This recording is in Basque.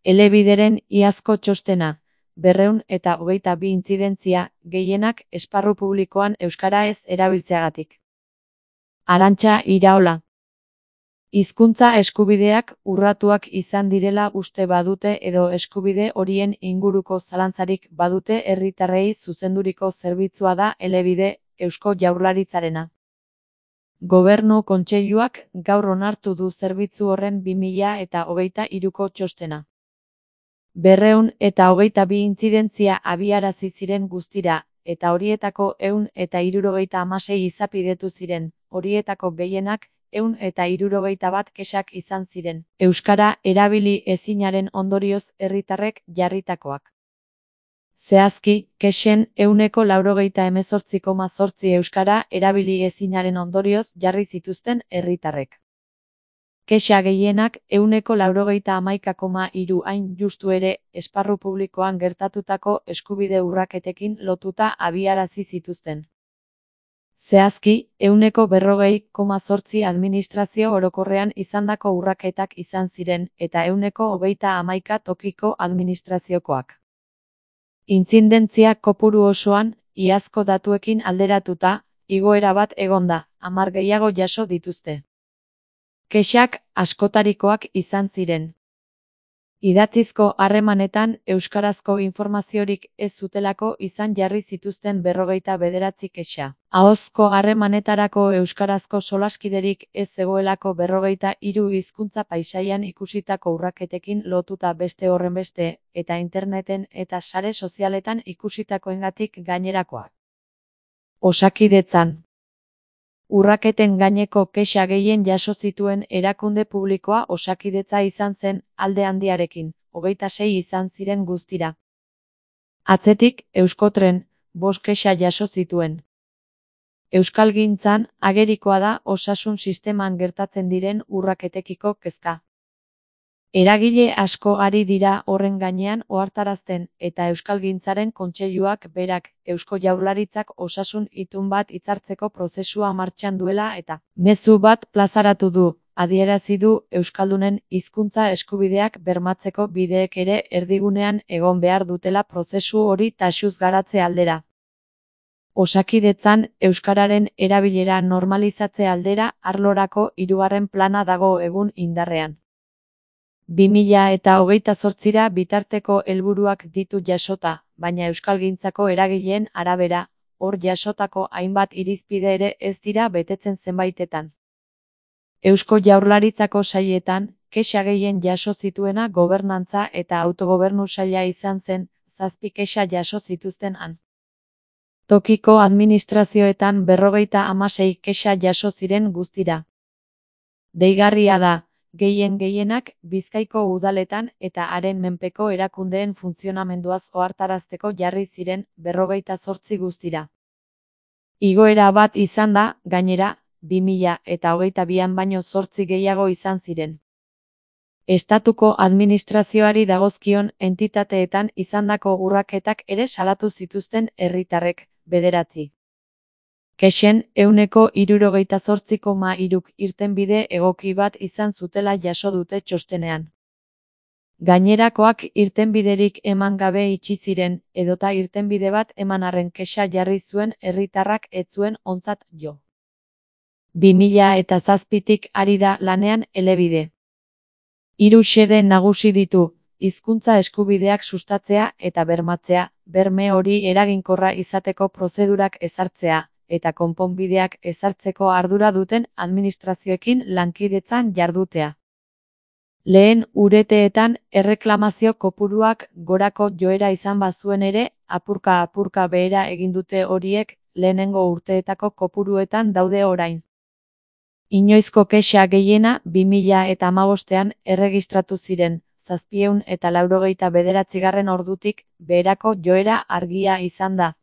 Elebideren iazko txostena, 222 intzidentzia, gehienak esparru publikoan euskara ez erabiltzeagatik. Arantxa Iraola. Hizkuntza eskubideak urratuak izan direla uste badute edo eskubide horien inguruko zalantzarik badute herritarrei zuzenduriko zerbitzua da Elebide, Eusko Jaurlaritzarena. Gobernu Kontseiluak gaur onartu du zerbitzu horren 2023ko txostena. 222 intzidentzia abiarazi ziren guztira, eta horietako 176 izapidetu ziren, horietako gehienak 161 kexak izan ziren. Euskara erabili ezinaren ondorioz herritarrek jarritakoak. Zehazki, kexen 98,8% euskara erabili ezinaren ondorioz jarri zituzten herritarrek. Kexa gehienak 91,3% hain justu ere, esparru publikoan gertatutako eskubide urraketekin lotuta abiarazi zituzten. Zehazki, 40,8% administrazio orokorrean izandako urraketak izan ziren, eta 31% tokiko administraziokoak. Intzidentzia kopuru osoan, iazko datuekin alderatuta, igoera bat egon da, 10 gehiago jaso dituzte. Kexak askotarikoak izan ziren. Idatzizko harremanetan euskarazko informaziorik ez zutelako izan jarri zituzten 29 kexa. Ahozko harremanetarako euskarazko solaskiderik ez zegoelako 23 hizkuntza paisaian ikusitako urraketekin lotuta beste horrenbeste, eta interneten eta sare sozialetan ikusitakoengatik gainerakoak. Osakidetzan. Urraketen gaineko kexa gehien jaso zituen erakunde publikoa Osakidetza izan zen, alde handiarekin, 26 izan ziren guztira. Atzetik, Euskotren, 5 kexa jaso zituen. Euskalgintzan, agerikoa da osasun sisteman gertatzen diren urraketekiko kezka. Eragile asko ari dira horren gainean ohartarazten, eta Euskalgintzaren Kontseiluak berak, Eusko Jaurlaritzak osasun itun bat hitzartzeko prozesua martxan duela eta mezu bat plazaratu du, adierazi du euskaldunen hizkuntza eskubideak bermatzeko bideek ere erdigunean egon behar dutela prozesu hori taxuz garatze aldera. Osakidetzan, euskararen erabilera normalizatze aldera arlorako 3. plana dago egun indarrean. 2028ra bitarteko helburuak ditu jasota, baina euskalgintzako eragileen arabera, hor jasotako hainbat irizpide ere ez dira betetzen zenbaitetan. Eusko Jaurlaritzako sailetan, kexa gehien jaso zituena gobernantza eta autogobernu saila izan zen, 7 kexa jaso zituzten han. Tokiko administrazioetan 56 kexa jaso ziren guztira. Deigarria da, gehienak Bizkaiko udaletan eta haren menpeko erakundeen funtzionamenduaz ohartarazteko jarri ziren 58 guztira. Igoera bat izan da, gainera, 2022an baino 8 gehiago izan ziren. Estatuko administrazioari dagozkion entitateetan izandako urraketak ere salatu zituzten herritarrek, 9. Kexen 68,3%k irtenbide egoki bat izan zutela jaso dute txostenean. Gainerakoak irtenbiderik eman gabe itxi ziren, edota irtenbide bat eman arren kexa jarri zuen herritarrak ez zuen ontzat jo. 2007tik ari da lanean Elebide. 3 xede nagusi ditu, hizkuntza eskubideak sustatzea eta bermatzea, berme hori eraginkorra izateko prozedurak ezartzea, eta konponbideak ezartzeko ardura duten administrazioekin lankidetzan jardutea. Lehen urteetan erreklamazio kopuruak gorako joera izan bazuen ere, apurka behera egin dute horiek, lehenengo urteetako kopuruetan daude orain. Inoizko kexa gehiena 2015ean erregistratu ziren, 789 ordutik beherako joera argia izan da.